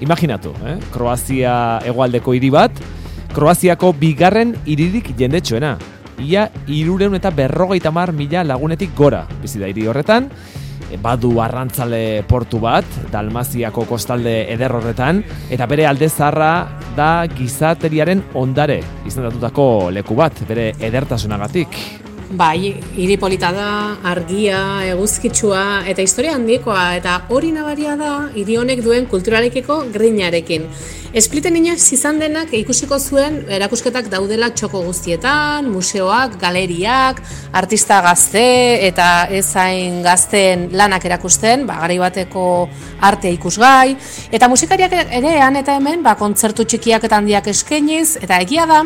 Imaginatu, Kroazia hegoaldeko hiri bat, Kroaziako bigarren hiririk jendetsuena. Ia 350.000 lagunetik gora bizi da hiri horretan. Badu arrantzale portu bat, Dalmaziako kostalde eder horretan, eta bere alde zaharra da gizateriaren ondare izendatutako leku bat, bere edertasunagatik. Bai, hiri polita da, argia, eguzkitsua eta historia handikoa, eta hori nabaria da hiri honek duen kulturarekiko grinarekin. Spliten inoiz izan denak ikusiko zuen erakusketak daudela txoko guztietan, museoak, galeriak, artista gazte eta ezain gazteen lanak erakusten, garai bateko arte ikusgai, eta musikariak ere han eta hemen kontzertu txikiak eta handiak eskainiz, eta egia da,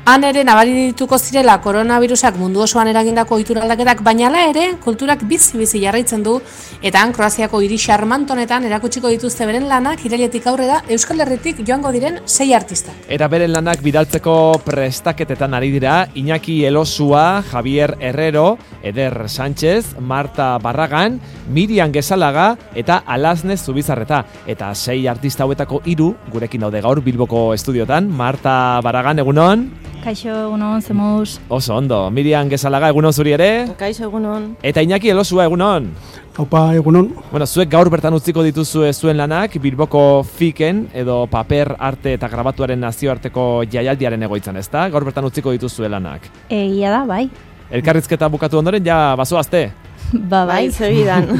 han ere nabari dituko zirela koronavirusak mundu osoan eragindako ohitura aldaketak, baina hala ere kulturak bizi jarraitzen du, eta han Kroaziako hiri xarmantonetan erakutsiko dituzte beren lanak irailetik aurrera Euskal Herritik joango diren 6 artista. Eta beren lanak bidaltzeko prestaketetan ari dira Iñaki Elosua, Javier Herrero, Eder Sánchez, Marta Barragan, Miriam Gesalaga eta Alasne Zubizarreta. Eta 6 artista hauetako 3 gurekin daude gaur Bilboko estudiotan. Marta Barragan, egunon. Kaixo, egunon, zemuz. Oso ondo. Miriam Gesalaga, egunon zuri ere? Kaixo, egunon. Eta Iñaki Elosua, egunon. Aupa, egunon. Bueno, zuek gaur bertan utziko dituzue zuen lanak Bilboko FIKen edo paper arte eta grabatuaren nazioarteko jaialdiaren egoitzan, ezta? Gaur bertan utziko dituzue lanak. Egia da, bai. Elkarrizketa bukatu ondoren ja bazoazte? Bai, segidan.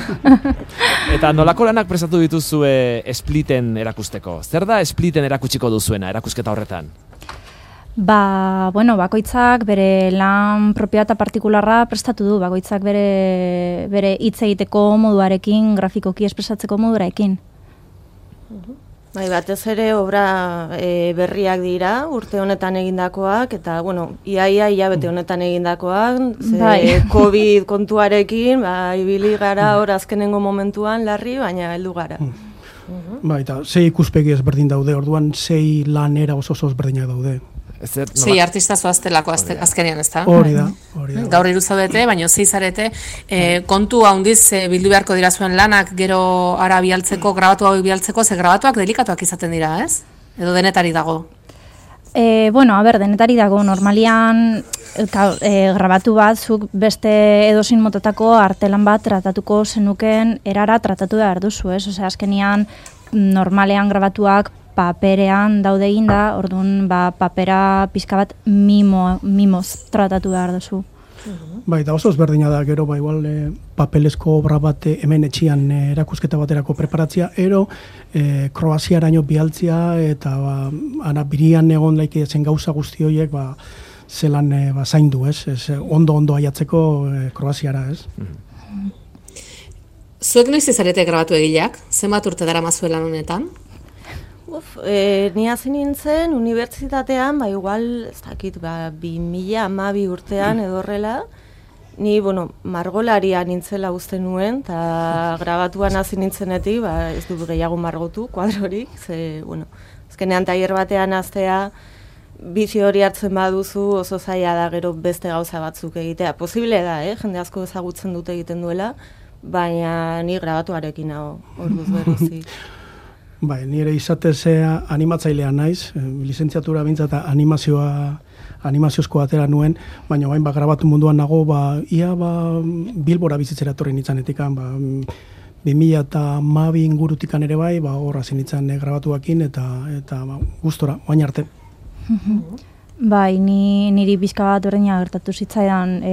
Eta nolako lanak prestatu dituzue Spliten erakusteko? Zer da Spliten erakutsiko duzuena erakusketa horretan? Bakoitzak bere lan propioa eta partikularra prestatu du, bakoitzak bere hitz egiteko moduarekin, grafikoki espresatzeko moduarekin. Bai, batez ere obra berriak dira, urte honetan egindakoak, eta, iaia hilabete honetan egindakoak, COVID kontuarekin, ibili gara hor azkenengo momentuan larri, baina heldu gara. Bai, eta 6 ikuspegi ezberdin daude, orduan 6 lan era oso ezberdinak daude. 6 artista zoaztelako azkenean, ez da? Hori da. Gaur 3 zaudete, baina 6 zarete. Kontu handiz bildu beharko dira zuen lanak gero ara bialtzeko, grabatu hau bialtzeko, ze grabatuak delikatuak izaten dira, ez? Edo denetari dago? Denetari dago. Normalian grabatu bat, zuk beste edozein motatako artelan bat tratatuko zenuken erara tratatu behar duzu, ez? Osea, azkenean normalean grabatuak paperean daude eginda, orduan papera pizka bat mimoz tratatu behar duzu. Bai, eta oso ezberdina da, gero, igual papelezko obra bat hemen etxian erakusketa baterako preparatzia, Kroaziaraino bialtzia, eta ana birian egon laike zen gauza guzti horiek, zelan zaindu, ez? Ondo aiatzeko Kroaziara, ez? Zuek noiz izarete grabatu egileak? Zenbat urte dara mazuelan honetan? Ni hasi nintzen unibertsitatean, igual, ez dakit, 2012 urtean edo horrela, ni, margolaria nintzela uste nuen, eta grabatuan hasi nintzenetik, ez du gehiago margotu, kuadrorik, azkenean tailer batean hastea, bizi hori hartzen baduzu oso zaila da gero beste gauza batzuk egitea. Posible da, jende asko ezagutzen dute egiten duela, baina ni grabatuarekin hau, orduz beruzi. Bai, nire izatez animatzailea naiz, lizentziatura bintzat animaziozko atera nuen, baina bain grabatu munduan nago, ia Bilbora bizitzera etorri nintzanetik, 2012 ingurutikan ere bai, horra zinitzen grabatuakin, eta gustora, baina arte. Bai, niri pixka bat berdina gertatu zitzaidan,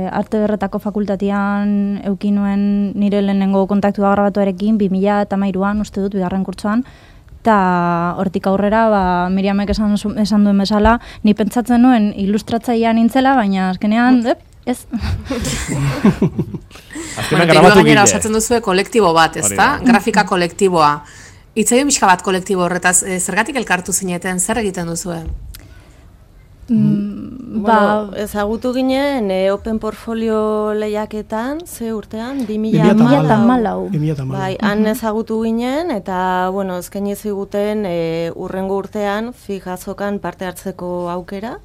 arte berretako fakultatean eukin nuen nire lehenengo kontaktua grabatuarekin 2013an, uste dut, bigarren kurtsoan, eta hortik aurrera, Miriamek esan duen bezala, ni pentsatzen nuen ilustratzailea nintzela, baina azkenean, ez. Gainera osatzen duzue kolektibo bat, ezta? Grafika kolektiboa. Itzaion pixka bat kolektibo horretaz, zergatik elkartu zineten, zer egiten duzue? Ezagutu ginen Open Portfolio lehiaketan, ze urtean? 2014. Bai, han ezagutu ginen, eta, eskaini ziguten urrengo urtean fijazokan parte hartzeko aukera.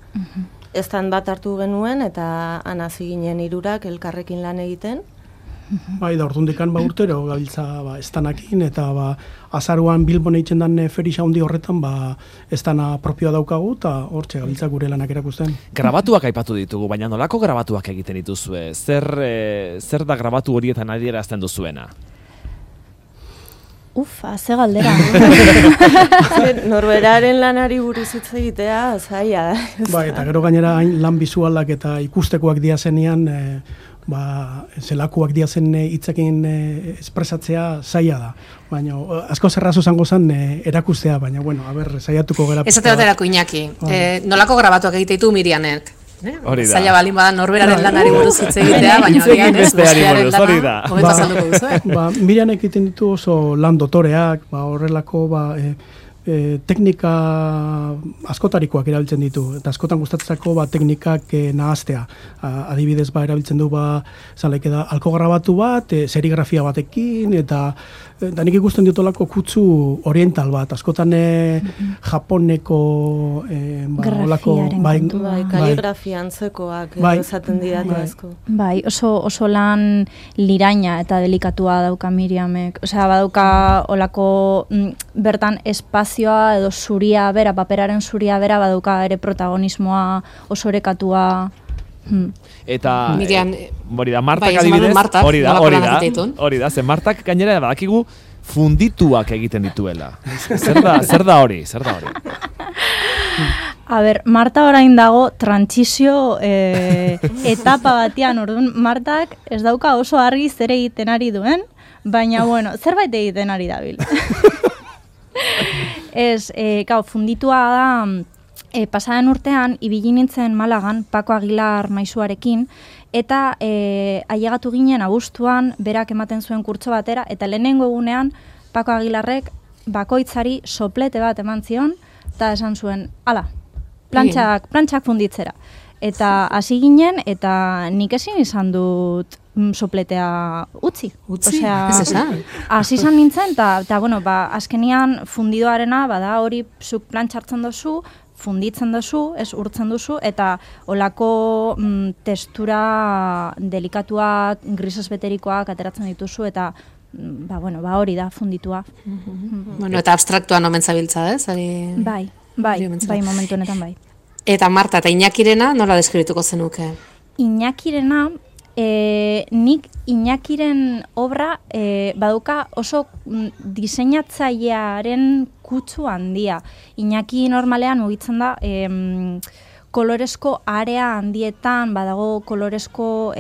Estan bat hartu genuen, eta han hasi ginen 3 elkarrekin lan egiten. Bai, da ordundikan urtero gabiltza estanakin, eta azaruan Bilbon eitzen dan ferixa handi horretan estana propioa daukagu, eta hortxe gabiltza gure lanak erakusten. Grabatuak aipatu ditugu, baina nolako grabatuak egiten dituzue? Zer da grabatu horietan adierazten duzuena? Ze galdera. Norberaren lanari buruz hitz egitea, zaila da. Bai, eta gero gainera lan bizualak eta ikustekoak diazenean, zelakoak diazen hitzekin espresatzea zaila da. Baina asko zerrazo zango zen erakustea, baina saiatuko gara. Esate baterako Iñaki, nolako grabatuak egite ditu Mirianek? Hori da. Zaila balin badan norberaren lanari buruz hitz egitea, baina agian ez bestearen lana. Hobeto azalduko duzu, Mirianek egiten ditu oso lan dotoreak, horrelako teknika askotarikoak erabiltzen ditu, eta askotan gustatzeko teknikak nahaztea. Adibidez erabiltzen du alko grabatu bat, serigrafia batekin, eta nik ikusten ditolako kutsu oriental bat, askotan japoneko kaligrafia antzekoak esaten didate asko. Bai, oso lan liraina eta delikatua dauka Miriamek. Osea, badauka olako bertan espazioa edo zuria bera, paperaren zuria bera badauka ere protagonismoa oso orekatua. Eta Miriam, Martak adibidez, hori da, ze Martak gainera badakigu fundituak egiten dituela. Zer da hori? A ber, Marta orain dago trantsizio etapa batean, orduan Martak ez dauka oso argi zer egiten ari duen, baina zerbait egiten ari dabil. Funditua da, pasaren urtean, ibili nintzen Malagan, Paco Aguilar maisuarekin, eta ailegatu ginen abuztuan, berak ematen zuen kurtso batera, eta lehenengo egunean, Paco Aguilarrek bakoitzari soplete bat eman zion, eta esan zuen, plantxak funditzera. Eta hasi ginen, eta nik ezin izan dut sopletea utzi. Osea, ez esan. Hasi izan nintzen, eta azkenian fundidoarena, hori zuk plantxartzen dozu, funditzen duzu, ez urtzen duzu, eta olako testura delikatuak, grises beterikoak ateratzen dituzu, eta hori da funditua. Eta abstraktuan omen zabiltza, ez? Bai, momentu honetan bai. Eta Marta eta Iñakirena nola deskribituko zenuke? Iñakirena, nik Iñakiren obra baduka oso diseinatzailearen kutsu handia. Iñaki normalean mugitzen da koloresko area handietan, badago koloresko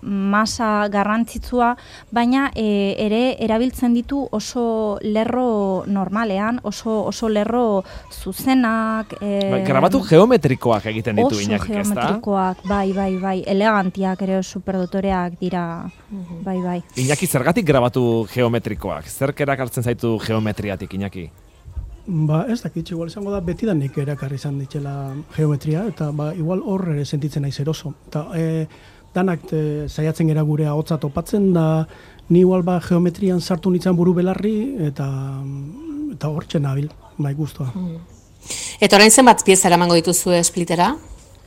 masa garrantzitsua, baina ere erabiltzen ditu oso lerro normalean, oso lerro zuzenak. Grabatu geometrikoak egiten ditu Iñakik, ezta? Oso geometrikoak, bai, elegantiak ere superdotoreak dira, bai. Iñaki, zergatik grabatu geometrikoak? Zerk erakartzen zaitu geometriatik, Iñaki? Ez dakit, igual izango da betidanik erakarri izan ditxela geometria, eta igual hor ere sentitzen naiz eroso. Eta danak saiatzen gera gure ahotsa topatzen, da ni igual geometrian sartu nintzen buru belarri, eta hortxe nabil, guztua. Eta orain zenbat pieza eramango dituzue Splittera?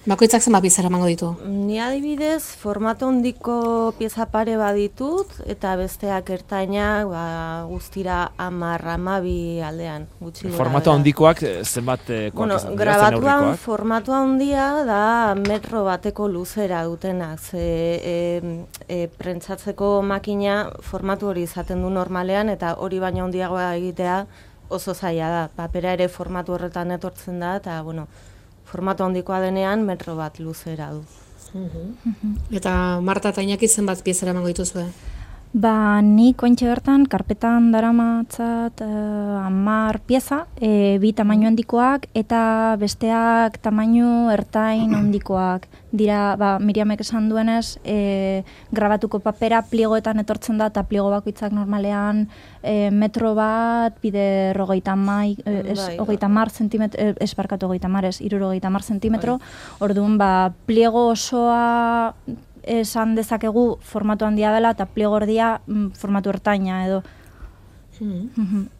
Bakoitzak zenbat pieza eramango ditu? Ni adibidez, formato handiko pieza pare baditut, eta besteak ertainak guztira 10-12 aldean. Formato handikoak zenbat grabatuan formato handia da metro bateko luzera dutenak. Prentsatzeko makina formatu hori izaten du normalean, eta hori baina handiagoa egitea oso zaila da. Papera ere formatu horretan etortzen da, eta formato handikoa denean metro bat luzera du. Eta Marta eta Iñaki zenbat pieza eramango dituzue? Nik ointxe bertan, karpetan daramatzat 10 pieza, 2 tamaino handikoak, eta besteak tamaino ertain handikoak. Dira, Miriamek esan duenez, grabatuko papera pliegoetan etortzen da, eta pliego bakoitzak normalean metro bat, bide 30 zentimetro, esparkatu 60 zentimetro, orduan, pliego osoa esan dezakegu formatu handia dela, eta pliego erdia formatu ertaina edo.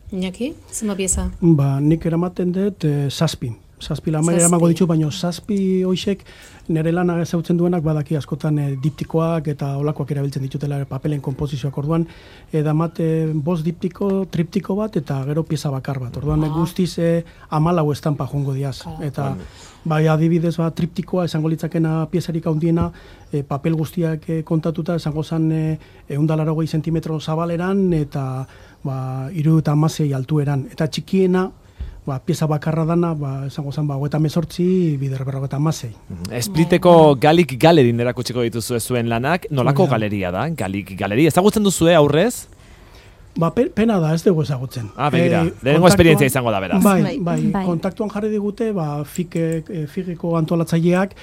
Iñaki, zenbat pieza? Nik eramaten dut 7 zazpi lamaiera emango ditu, baina zazpi hoixek nire lana ezautzen duenak badaki askotan diptikoak eta olakoak erabiltzen ditutela papelen konposizioak orduan, damat bost diptiko, triptiko bat eta gero pieza bakar bat. Orduan guztiz 14 estampa jongo diaz. Eta bai adibidez triptikoa esango litzakena piezarik handiena, papel guztiak kontatuta esango zen 180 zentimetro zabaleran eta 76 altueran. Eta txikiena pieza bakarra dana, esango zen, 38, bider 56. Spliteko Galik Galerin erakutsiko dituzue zuen lanak, nolako galeria da, Galik Galeria? Ezagutzen duzue aurrez? Pena da, ez dugu ezagutzen. Begira, lehenengo esperientzia izango da, beraz. Bai, kontaktuan jarri digute, FIGeko antolatzaileak,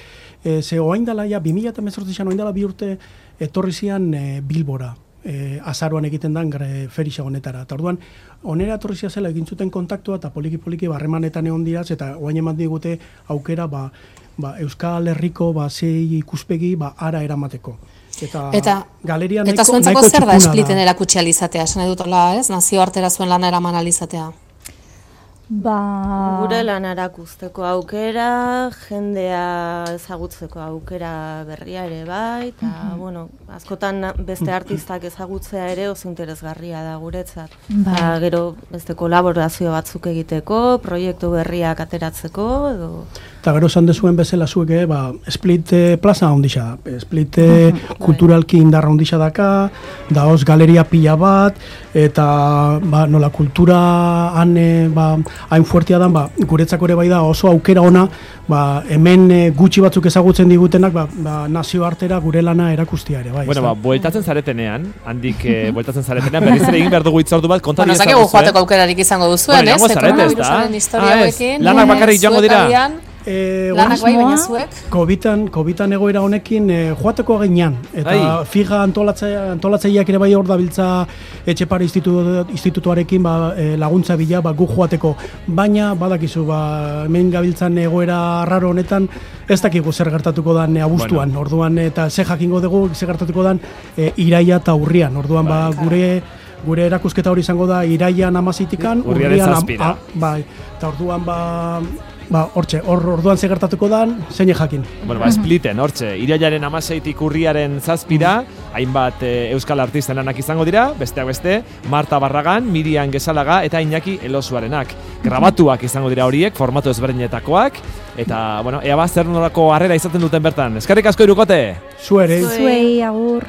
ze oain dela, 2018an oain dela 2 urte etorri zian Bilbora. Azaroan egiten dan ferisa honetara. Eta orduan, onera etorrizia zela egin zuten kontaktua eta poliki harremanetan egon diraz, eta oain eman digute aukera Euskal Herriko zei ikuspegi ara eramateko. Eta galeria nahiko zuentzako zer da Spliten erakutsi alizatea, esan edutela, ez? Nazioartera zuen lana eraman alizatea. Gure lan erakusteko aukera, jendea ezagutzeko aukera berria ere bai, eta, askotan beste artistak ezagutzea ere oso interesgarria da guretzat. Gero beste kolaborazio batzuk egiteko, proiektu berriak ateratzeko, edo... Eta gero esan dezuen bezala zuek, Split plaza ondisa da. Split kulturalki indarra ondisa daka, daoz galeria pila bat, eta nola kultura hain fuertia dan, guretzako ere bai da oso aukera ona, hemen gutxi batzuk ezagutzen digutenak, nazioartera gure lana erakustia ere, bai. Bueltatzen zaretenean, handik bueltatzen zaretenean, berriz ere egin behar dugu itzordu bat, kontari ezagutzen. Zakegu joateko aukerarik izango duzuen, ez? Koronavirusaren historia hauekin. Lanak bakarrik joango dira. Lanak bai, baina zuek? Covidan egoera honekin joateko ginean. Eta FIGA antolatzaileak ere bai hor dabiltza Etxepare institutuarekin laguntza bila gu joateko. Baina badakizu hemen gabiltzan egoera raro honetan ez dakigu zer gertatuko dan abuztuan. Orduan eta ze jakingo dugu zer gertatuko dan iraia eta urrian. Orduan gure erakusketa hori izango da iraian 16-an, urrian 7. Eta orduan orduan segertatuko dan, zein jakin. Spliten, hortxe, irailaren 16-tik urriaren 7, hainbat euskal artisten lanak izango dira, besteak beste, Marta Barragan, Miriam Gesalaga eta Iñaki Elosuarenak. Grabatuak izango dira horiek, formatu ezberdinetakoak, eta, ea zer nolako harrera izaten duten bertan. Eskerrik asko Hirukote! Zuei, agur!